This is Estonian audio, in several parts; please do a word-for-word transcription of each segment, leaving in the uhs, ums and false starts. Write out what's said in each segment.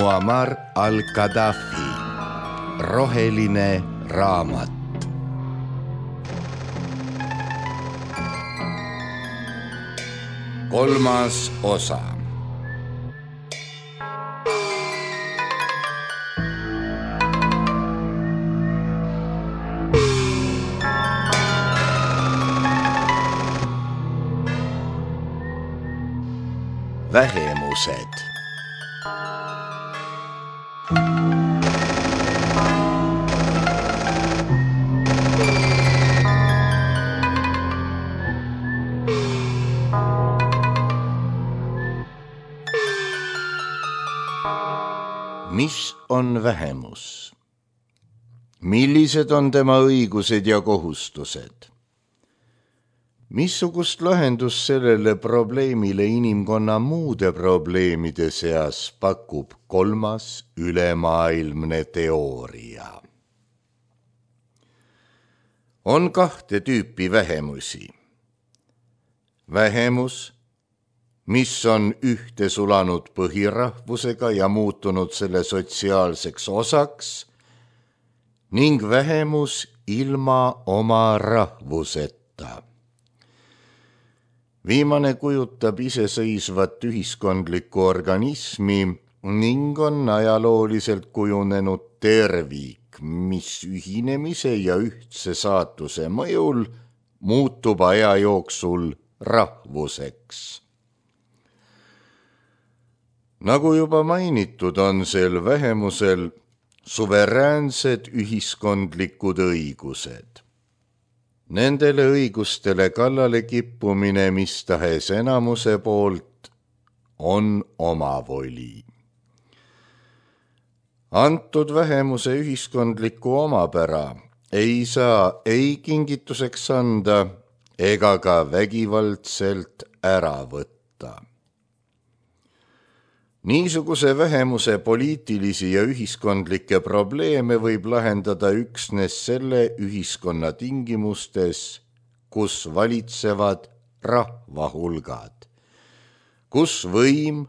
Muammar al-Gaddafi, roheline raamat. Kolmas osa. Vähemused. Mis on vähemus? Millised on tema õigused ja kohustused? Missugust lahendust sellele probleemile inimkonna muude probleemide seas pakub kolmas ülemaailmne teooria? On kahte tüüpi vähemusi. Vähemus, mis on ühte sulanud põhirahvusega ja muutunud selle sotsiaalseks osaks, ning vähemus ilma oma rahvuseta. Viimane kujutab iseseisvat ühiskondlikku organismi ning on ajalooliselt kujunenud tervik, mis ühinemise ja ühtse saatuse mõjul muutub aja jooksul rahvuseks. Nagu juba mainitud, on sel vähemusel suveräänsed ühiskondlikud õigused. Nendele õigustele kallale kippumine mis tahes enamuse poolt on omavoli. Antud vähemuse ühiskondlikku omapära ei saa ei kingituseks anda ega ka vägivaldselt ära võtta. Niisuguse vähemuse poliitilisi ja ühiskondlikke probleeme võib lahendada üksnes selle ühiskonna tingimustes, kus valitsevad rahvahulgad, kus võim,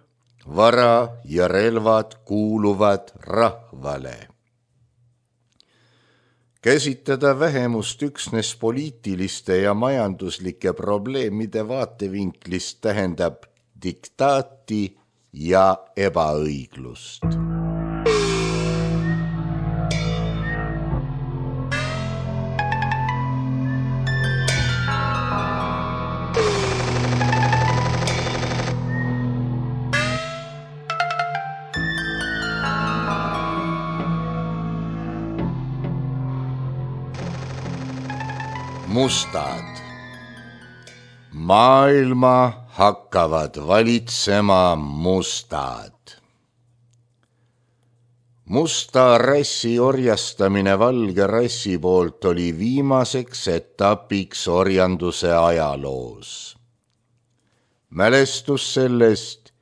vara ja relvad kuuluvad rahvale. Käsitleda vähemust üksnes poliitiliste ja majanduslike probleemide vaatevinklist tähendab diktaati ja ebaõiglust. Mustad. Maailma hakkavad valitsema mustad. Musta rassi orjastamine valge rassi poolt oli viimaseks etapiks orjanduse ajaloos. Mälestus sellest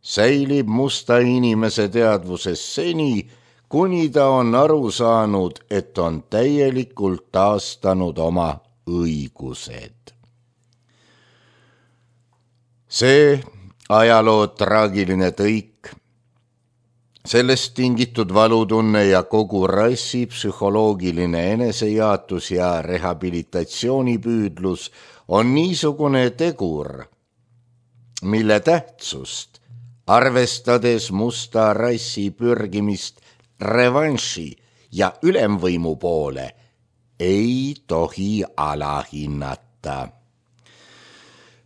säilib musta inimese teadvuses seni, kuni ta on aru saanud, et on täielikult taastanud oma õigused. See ajaloo traagiline tõik, sellest tingitud valutunne ja kogu rassi psühholoogiline enesejaatus ja rehabilitatsioonipüüdlus on niisugune tegur, mille tähtsust, arvestades musta rassi pürgimist revanši ja ülemvõimu poole, ei tohi alahinnata.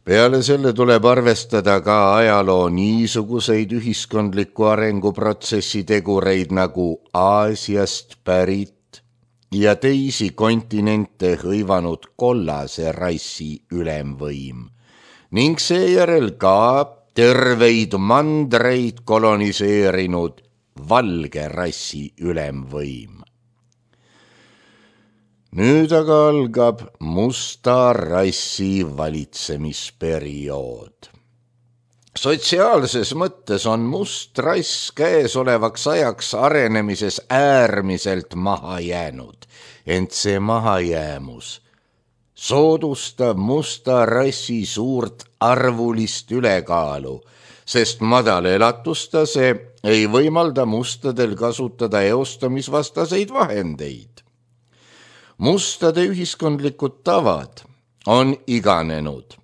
Peale selle tuleb arvestada ka ajaloo niisuguseid ühiskondliku arenguprotsessi tegureid nagu Aasiast pärit ja teisi kontinente hõivanud kollase rassi ülemvõim ning seejärel ka terveid mandreid koloniseerinud valge rassi ülemvõim. Nüüd aga algab musta rassi valitsemisperiood. Sotsiaalses mõttes on must rass käesolevaks ajaks arenemises äärmiselt maha jäänud, ent see mahajäämus soodustab musta rassi suurt arvulist ülekaalu, sest madal elatustase ei võimalda mustadel kasutada eostamisvastaseid vahendeid. Mustade ühiskondlikud tavad on iganenud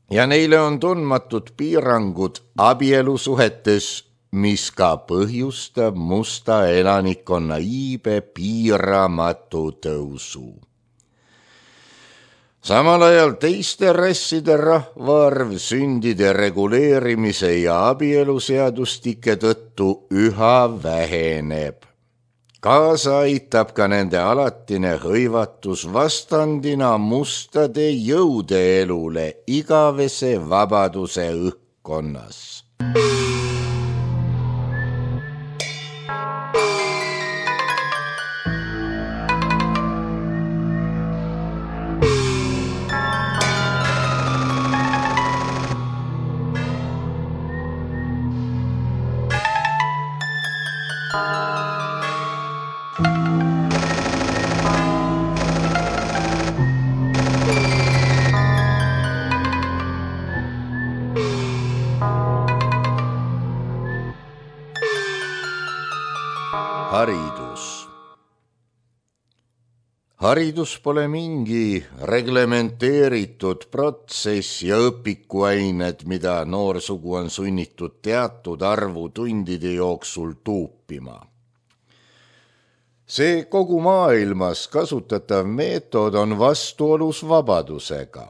ja neile on tundmatud piirangud abielusuhetes, mis ka põhjustab musta elanikkonna iibe piiramatu tõusu. Samal ajal teiste rasside rahvaarv sündide reguleerimise ja abieluseadustike tõttu üha väheneb. Kaasa aitab ka nende alatine hõivatus vastandina mustade jõudeelule igavese vabaduse õhkkonnas. Haridus. Haridus pole mingi reglementeeritud protsess ja õpikuained, mida noorsugu on sunnitud teatud arvu tundide jooksul tuupima. See kogu maailmas kasutatav meetod on vastuolus vabadusega.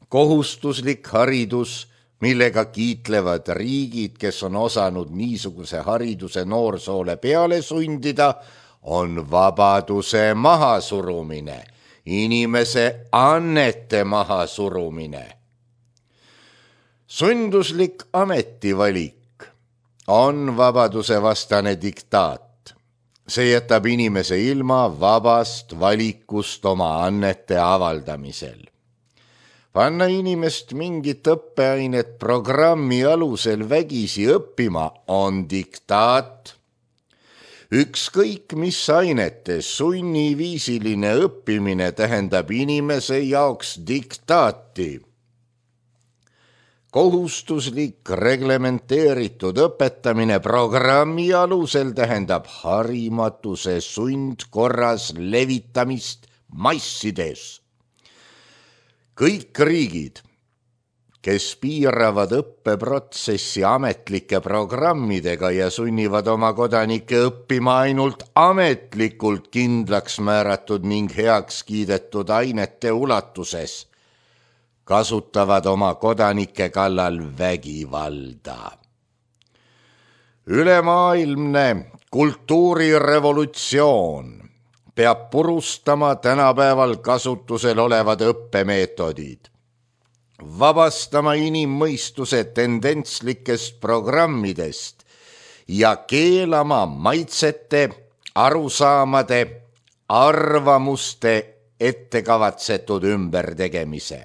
Kohustuslik haridus, millega kiitlevad riigid, kes on osanud niisuguse hariduse noorsoole peale sundida, on vabaduse mahasurumine, inimese annete mahasurumine. Sunduslik ametivalik on vabaduse vastane diktaat. See jätab inimese ilma vabast valikust oma annete avaldamisel. Panna inimest mingit õppeainet programmi alusel vägisi õppima on diktaat. Ükskõik mis ainetes sunniviisiline õppimine tähendab inimese jaoks diktaati. Kohustuslik reglementeeritud õpetamine programmi alusel tähendab harimatuse sundkorras levitamist massides. Kõik riigid, kes piiravad õppeprotsessi ametlike programmidega ja sunnivad oma kodanikke õppima ainult ametlikult kindlaks määratud ning heaks kiidetud ainete ulatuses, kasutavad oma kodanike kallal vägivalda. Ülemaailmne kultuurirevolutsioon peab purustama tänapäeval kasutusel olevad õppemeetodid, vabastama inimmõistuse tendentslikest programmidest ja keelama maitsete, arusaamade, arvamuste ettekavatsetud ümbertegemise.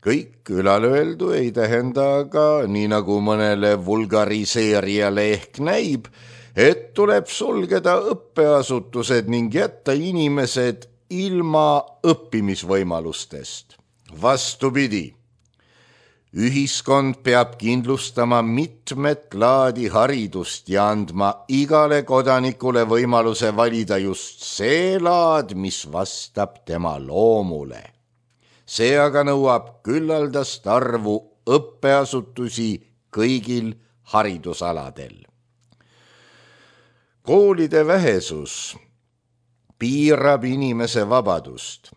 Kõik ülalöeldu ei tähenda aga, nii nagu mõnele vulgariseerijale ehk näib, et tuleb sulgeda õppeasutused ning jätta inimesed ilma õppimisvõimalustest. Vastupidi, ühiskond peab kindlustama mitmet laadi haridust ja andma igale kodanikule võimaluse valida just see laad, mis vastab tema loomule. See aga nõuab küllaldast arvu õppeasutusi kõigil haridusaladel. Koolide vähesus piirab inimese vabadust,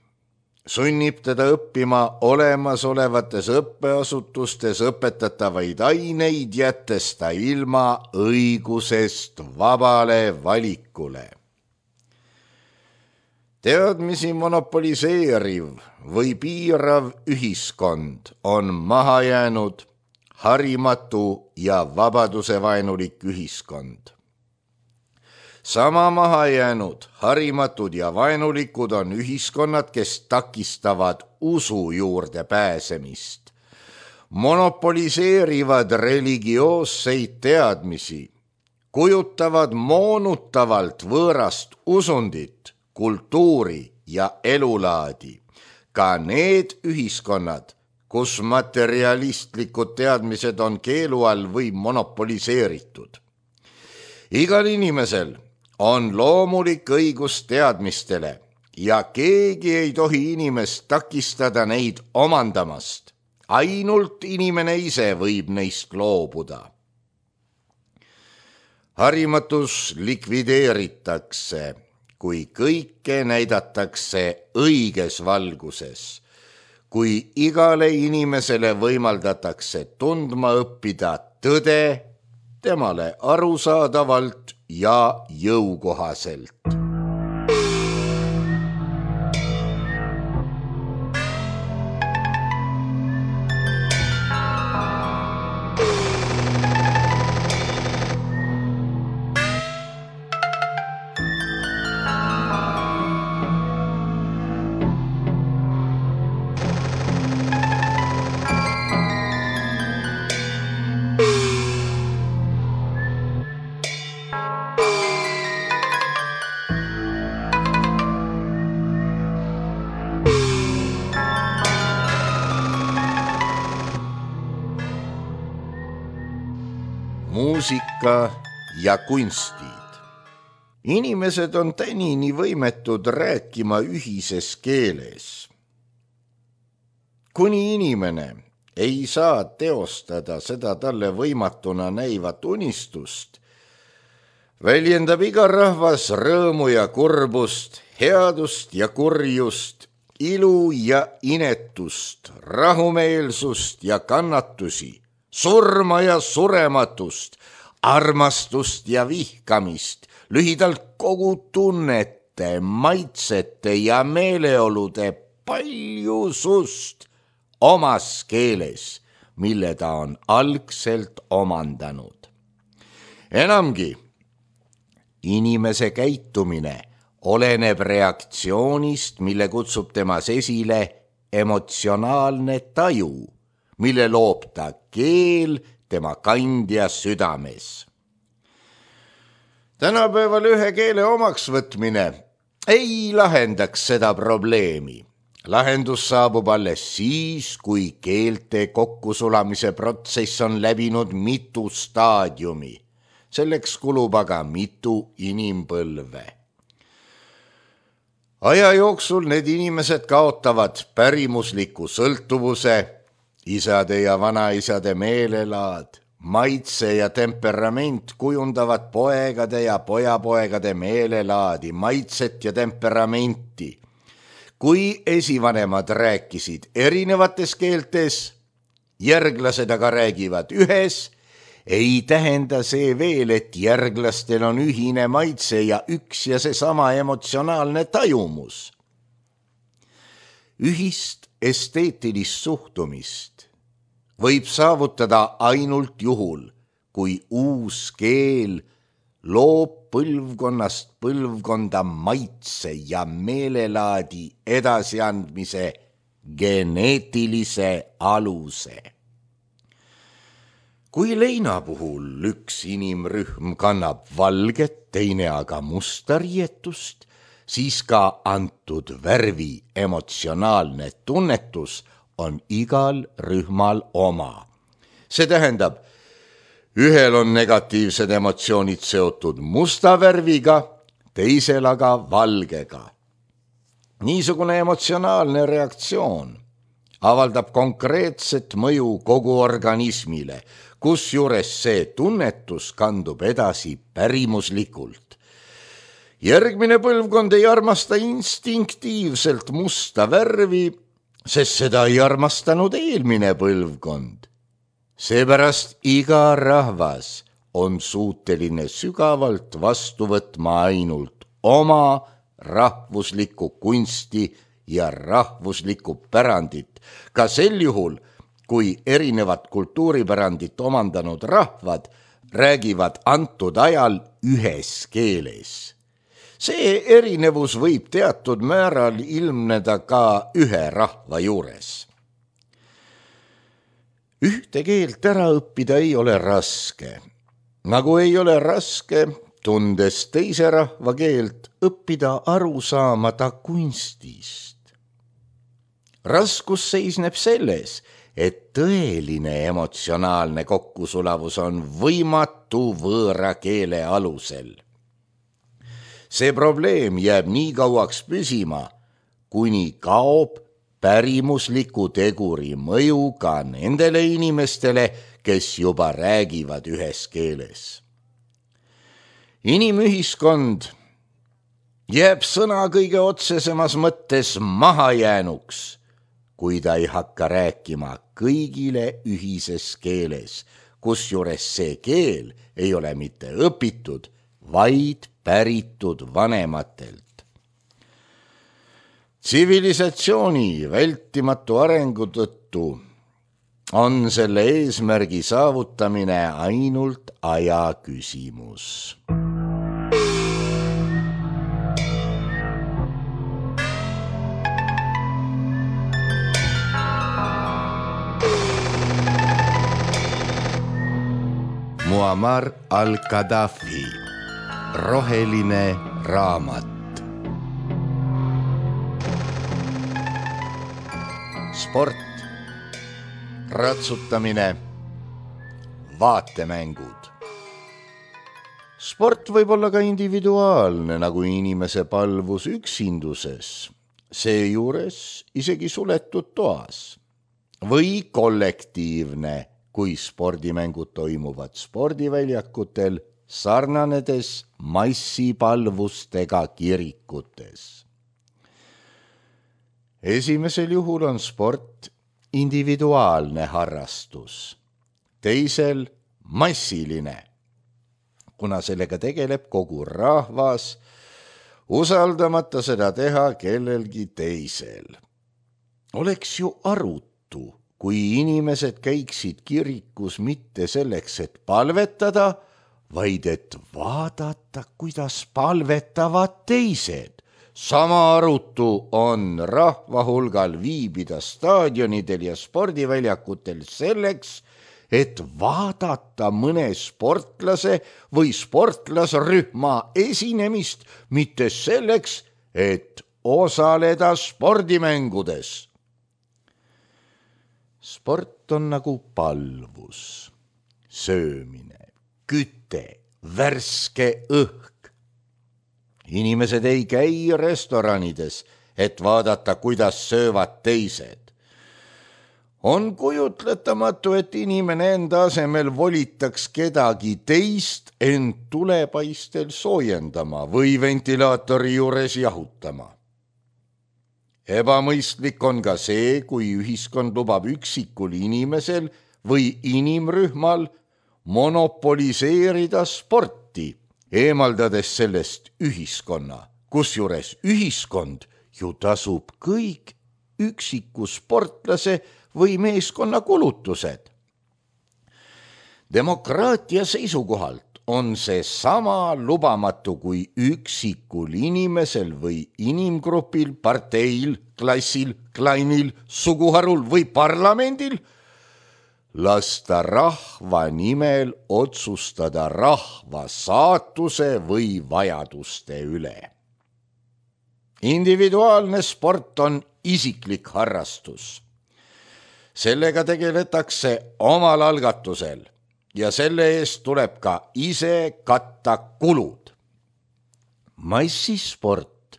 sunnib teda õppima olemasolevates õppeasutustes õpetatavaid aineid, jättes ta ilma õigusest vabale valikule. Teadmisi monopoliseeriv või piirav ühiskond on maha jäänud harimatu ja vabadusevaenulik ühiskond. Sama maha jäänud harimatud ja vaenulikud on ühiskonnad, kes takistavad usu juurde pääsemist, monopoliseerivad religioosseid teadmisi, kujutavad moonutavalt võõrast usundit, kultuuri ja elulaadi. Ka need ühiskonnad kus materialistlikud teadmised on keelu all või monopoliseeritud. Igal inimesel on loomulik õigus teadmistele ja keegi ei tohi inimest takistada neid omandamast. Ainult inimene ise võib neist loobuda. Harimatus likvideeritakse, kui kõike näidatakse õiges valguses, kui igale inimesele võimaldatakse tundma õppida tõde temale arusaadavalt ja jõukohaselt. Muusika ja kunstid. Inimesed on tänini võimetud rääkima ühises keeles. Kuni inimene ei saa teostada seda talle võimatuna näivat unistust, väljendab iga rahvas rõõmu ja kurbust, headust ja kurjust, ilu ja inetust, rahumeelsust ja kannatusi, surma ja surematust, armastust ja vihkamist, lühidalt kogu tunnete, maitsete ja meeleolude paljusust omas keeles, mille ta on algselt omandanud. Enamgi, inimese käitumine oleneb reaktsioonist, mille kutsub temas esile emotsionaalne taju, mille loob ta keel tema kandja südames. Tänapäeval ühe keele omaks võtmine ei lahendaks seda probleemi. Lahendus saabub alles siis, kui keelte kokkusulamise protsess on läbinud mitu staadiumi. Selleks kulub aga mitu inimpõlve. Aja jooksul need inimesed kaotavad pärimusliku sõltuvuse, isade ja vanaisade meelelaad, maitse ja temperament kujundavad poegade ja pojapoegade meelelaadi, maitset ja temperamenti. Kui esivanemad rääkisid erinevates keeltes, järglased aga räägivad ühes, ei tähenda see veel, et järglastel on ühine maitse ja üks ja seesama emotsionaalne tajumus. Ühist esteetilist suhtumist võib saavutada ainult juhul, kui uus keel loob põlvkonnast põlvkonda maitse ja meelelaadi edasiandmise geneetilise aluse. Kui leina puhul üks inimrühm kannab valget, teine aga musta riietust, siis ka antud värvi emotsionaalne tunnetus on igal rühmal oma. See tähendab, ühel on negatiivsed emotsioonid seotud musta värviga, teisel aga valgega. Niisugune emotsionaalne reaktsioon avaldab konkreetset mõju kogu organismile, kusjuures see tunnetus kandub edasi pärimuslikult. Järgmine põlvkond ei armasta instinktiivselt musta värvi, sest seda ei armastanud eelmine põlvkond. Seepärast iga rahvas on suuteline sügavalt vastu võtma ainult oma rahvuslikku kunsti ja rahvuslikku pärandit, ka sel juhul, kui erinevat kultuuripärandit omandanud rahvad räägivad antud ajal ühes keeles. See erinevus võib teatud määral ilmneda ka ühe rahva juures. Ühte keelt ära õppida ei ole raske, nagu ei ole raske, tundes teise rahva keelt, õppida aru saama ta kunstist. Raskus seisneb selles, et tõeline emotsionaalne kokkusulavus on võimatu võõra keele alusel. See probleem jääb nii kauaks püsima, kuni kaob pärimusliku teguri mõju ka nendele inimestele, kes juba räägivad ühes keeles. Inimühiskond jääb sõna kõige otsesemas mõttes mahajäänuks, kui ta ei hakka rääkima kõigile ühises keeles, kusjuures see keel ei ole mitte õpitud, vaid päritud vanematelt. Tsivilisatsiooni vältimatu arengu tõttu on selle eesmärgi saavutamine ainult aja küsimus. Muammar al-Gaddafi, roheline raamat. Sport, ratsutamine, vaatemängud. Sport võib olla ka individuaalne, nagu inimese palvus üksinduses, seejuures isegi suletud toas, või kollektiivne, kui spordimängud toimuvad spordiväljakutel, sarnanedes massipalvustega kirikutes. Esimesel juhul on sport individuaalne harrastus, teisel massiline, kuna sellega tegeleb kogu rahvas, usaldamata seda teha kellelgi teisel. Oleks ju arutu, kui inimesed käiksid kirikus mitte selleks, et palvetada, vaid et vaadata, kuidas palvetavad teised. Sama arutu on rahva hulgal viibida staadionidel ja spordiväljakutel selleks, et vaadata mõne sportlase või sportlasrühma esinemist, mitte selleks, et osaleda spordimängudes. Sport on nagu palvus, söömine, küte, värske õhk. Inimesed ei käi restoranides, et vaadata, kuidas söövad teised. On kujutletamatu, et inimene enda asemel volitaks kedagi teist end tulepaistel soojendama või ventilaatori juures jahutama. Ebamõistlik on ka see, kui ühiskond lubab üksikul inimesel või inimrühmal monopoliseerida sporti, eemaldades sellest ühiskonna, kusjuures ühiskond ju tasub kõik üksiku sportlase või meeskonna kulutused. Demokraatia seisukohalt on see sama lubamatu kui üksikul inimesel või inimgrupil, parteil, klassil, klainil, suguharul või parlamendil lasta rahva nimel otsustada rahva saatuse või vajaduste üle. Individuaalne sport on isiklik harrastus. Sellega tegeletakse omal algatusel ja selle eest tuleb ka ise katta kulud. Massisport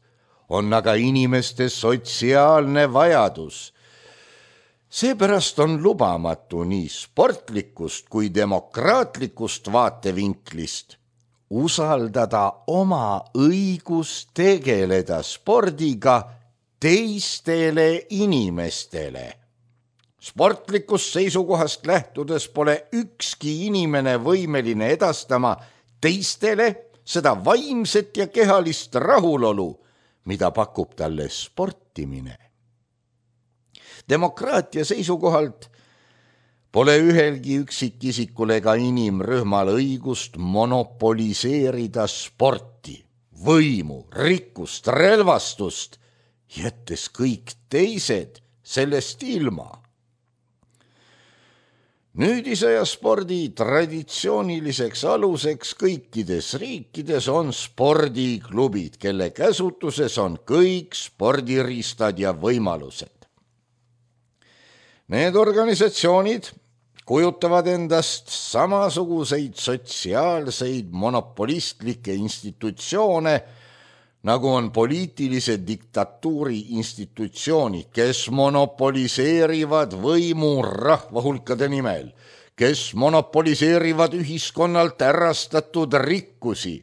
on aga inimeste sotsiaalne vajadus. Seepärast on lubamatu nii sportlikust kui demokraatlikust vaatevinklist usaldada oma õigus tegeleda spordiga teistele inimestele. Sportlikust seisukohast lähtudes pole ükski inimene võimeline edastama teistele seda vaimset ja kehalist rahulolu, mida pakub talle sportimine. Demokraatia seisukohalt pole ühelgi üksikisikul ega inimrühmal õigust monopoliseerida sporti, võimu, rikkust, relvastust, jättes kõik teised sellest ilma. Nüüdisaja spordi traditsiooniliseks aluseks kõikides riikides on spordiklubid, kelle käsutuses on kõik spordiriistad ja võimalused. Need organisatsioonid kujutavad endast samasuguseid sotsiaalseid monopolistlikke institutsioone, nagu on poliitilise diktatuuri institutsioonid, kes monopoliseerivad võimu rahvahulkade nimel, kes monopoliseerivad ühiskonnalt ärastatud rikkusi,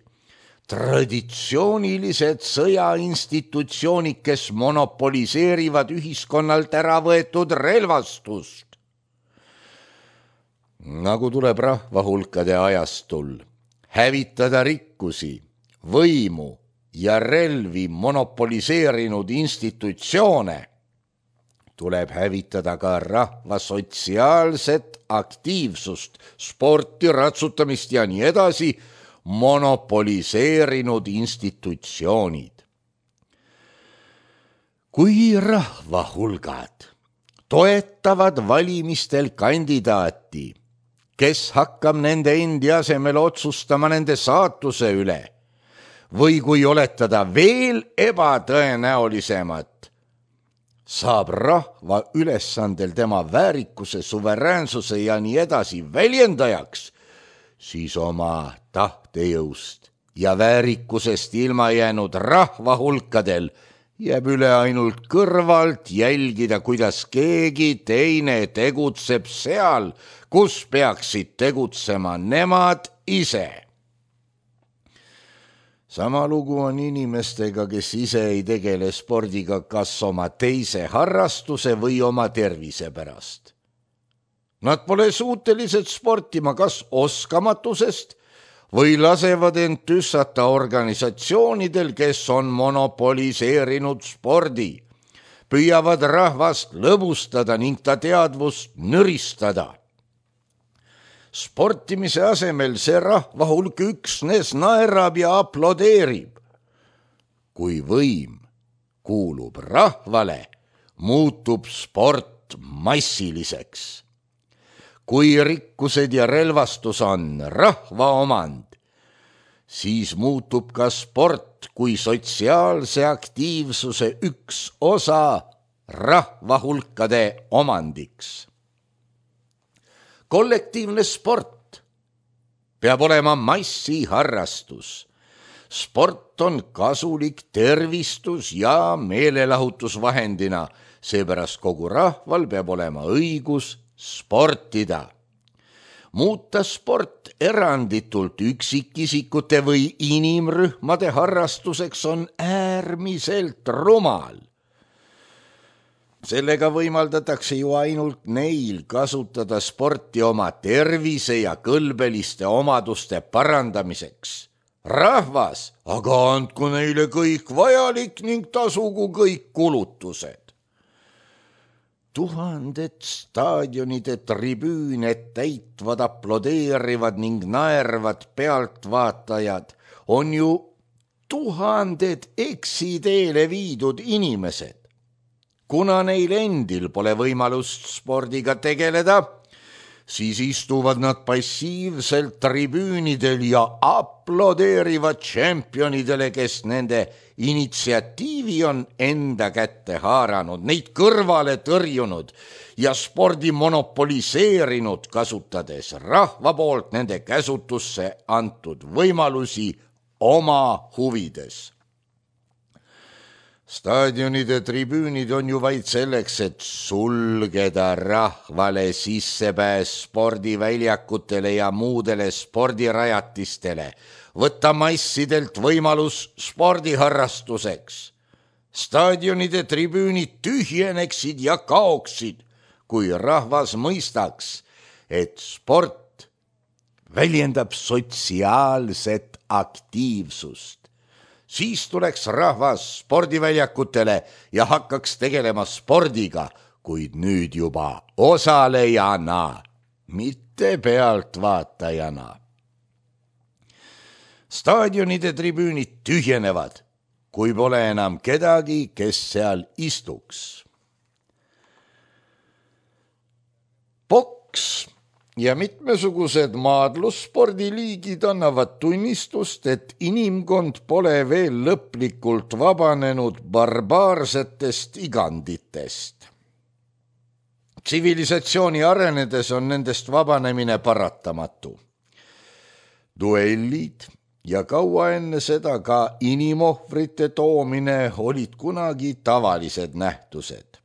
traditsioonilised sõjainstitutsioonid, kes monopoliseerivad ühiskonnalt ära võetud relvastust. Nagu tuleb rahvahulkade ajastul hävitada rikkusi, võimu ja relvi monopoliseerinud institutsioone, tuleb hävitada ka rahva sotsiaalset aktiivsust, sporti, ratsutamist ja nii edasi monopoliseerinud institutsioonid. Kui rahvahulgad toetavad valimistel kandidaati, kes hakkab nende endi asemel otsustama nende saatuse üle, või kui oletada veel ebatõenäolisemat, saab rahva ülesandel tema väärikuse, suveräänsuse ja nii edasi väljendajaks, siis oma tahtejõust ja väärikusest ilma jäänud rahvahulkadel jääb üle ainult kõrvalt jälgida, kuidas keegi teine tegutseb seal, kus peaksid tegutsema nemad ise. Sama lugu on inimestega, kes ise ei tegele spordiga kas oma teise harrastuse või oma tervise pärast. Nad pole suutelised sportima kas oskamatusest või lasevad end tüssata organisatsioonidel, kes on monopoliseerinud spordi, püüavad rahvast lõbustada ning ta teadvust nõristada. Sportimise asemel see rahvahulk üksnes naerab ja aplodeerib. Kui võim kuulub rahvale, muutub sport massiliseks. Kui rikkused ja relvastus on rahva omand, siis muutub ka sport kui sotsiaalse aktiivsuse üks osa rahvahulkade omandiks. Kollektiivne sport peab olema massiharrastus. Sport on kasulik tervistus ja meelelahutusvahendina, seepärast kogu rahval peab olema õigus sportida. Muuta sport eranditult üksikisikute või inimrühmade harrastuseks on äärmiselt rumal. Sellega võimaldatakse ju ainult neil kasutada sporti oma tervise ja kõlbeliste omaduste parandamiseks. Rahvas, aga andku neile kõik vajalik ning tasugu kõik kulutused. Tuhanded staadionide tribüüne täitvad, aplodeerivad ning naervad pealtvaatajad on ju tuhanded eksiteele viidud inimesed. Kuna neil endil pole võimalust spordiga tegeleda, siis istuvad nad passiivselt tribüünidel ja aplodeerivad tšempionidele, kes nende initsiatiivi on enda kätte haaranud, neid kõrvale tõrjunud ja spordi monopoliseerinud, kasutades rahva poolt nende käsutusse antud võimalusi oma huvides. Staadionide tribüünid on ju vaid selleks, et sulgeda rahvale sissepääs spordiväljakutele ja muudele spordirajatistele, võtta massidelt võimalus spordiharrastuseks. Staadionide tribüünid tühjeneksid ja kaoksid, kui rahvas mõistaks, et sport väljendab sotsiaalset aktiivsust. Siis tuleks rahvas spordiväljakutele ja hakkaks tegelema spordiga, kuid nüüd juba osalejana, mitte pealtvaatajana. Staadionide tribüünid tühjenevad, kui pole enam kedagi, kes seal istuks. Poks ja mitmesugused maadlusspordiliigid annavad tunnistust, et inimkond pole veel lõplikult vabanenud barbaarsetest iganditest. Tsivilisatsiooni arenedes on nendest vabanemine paratamatu. Duellid ja kaua enne seda ka inimohvrite toomine olid kunagi tavalised nähtused.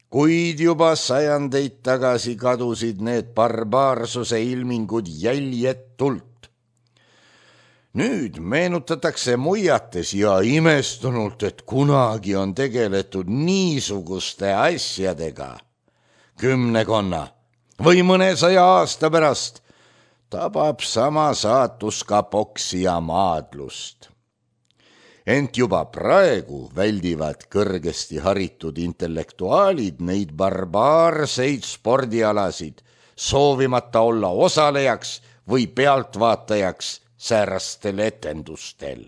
Kuid juba sajandeid tagasi kadusid need barbaarsuse ilmingud jäljetult. Nüüd meenutatakse muiates ja imestunult, et kunagi on tegeletud niisuguste asjadega. Kümnekonna või mõnesaja aasta pärast tabab sama saatus ka poksija maadlust. Ent juba praegu väldivad kõrgesti haritud intellektuaalid neid barbaarseid spordialasid, soovimata olla osalejaks või pealtvaatajaks säärastel etendustel.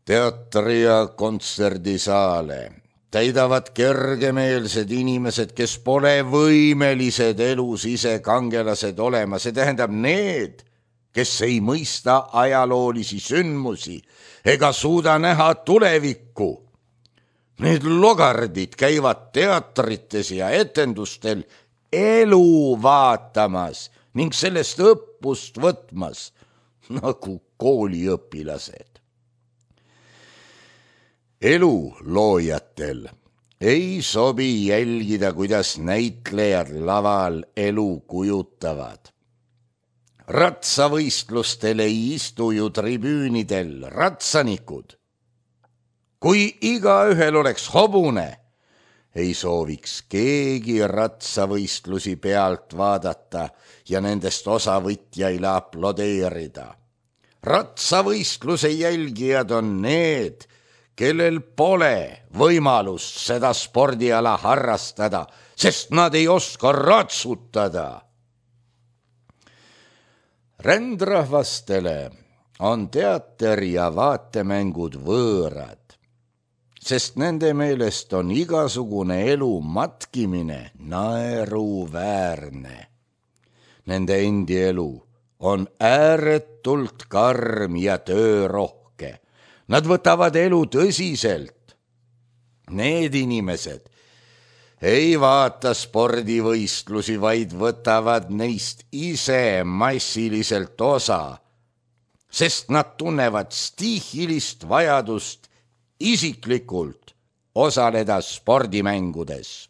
Teatri- ja kontserdisaale täidavad kergemeelsed inimesed, kes pole võimelised elus ise kangelased olema, see tähendab need, kes ei mõista ajaloolisi sündmusi ega suuda näha tulevikku. Need logardid käivad teatrites ja etendustel elu vaatamas ning sellest õppust võtmas nagu kooliõpilased. Elu loojatel ei sobi jälgida, kuidas näitlejad laval elu kujutavad. Ratsavõistlustel ei istu ju tribüünidel ratsanikud. Kui igaühel oleks hobune, ei sooviks keegi ratsavõistlusi pealt vaadata ja nendest osavõtjaile aplodeerida. Ratsavõistluse jälgijad on need, kellel pole võimalust seda spordiala harrastada, sest nad ei oska ratsutada. Rändrahvastele on teater ja vaatemängud võõrad, sest nende meelest on igasugune elu matkimine naeruväärne. Nende endi elu on ääretult karm ja töörohke. Nad võtavad elu tõsiselt. Need inimesed ei vaata spordivõistlusi, vaid võtavad neist ise massiliselt osa, sest nad tunnevad stiihilist vajadust isiklikult osaleda spordimängudes.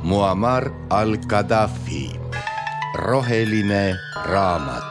Muammar al-Gaddafi, roheline raamat.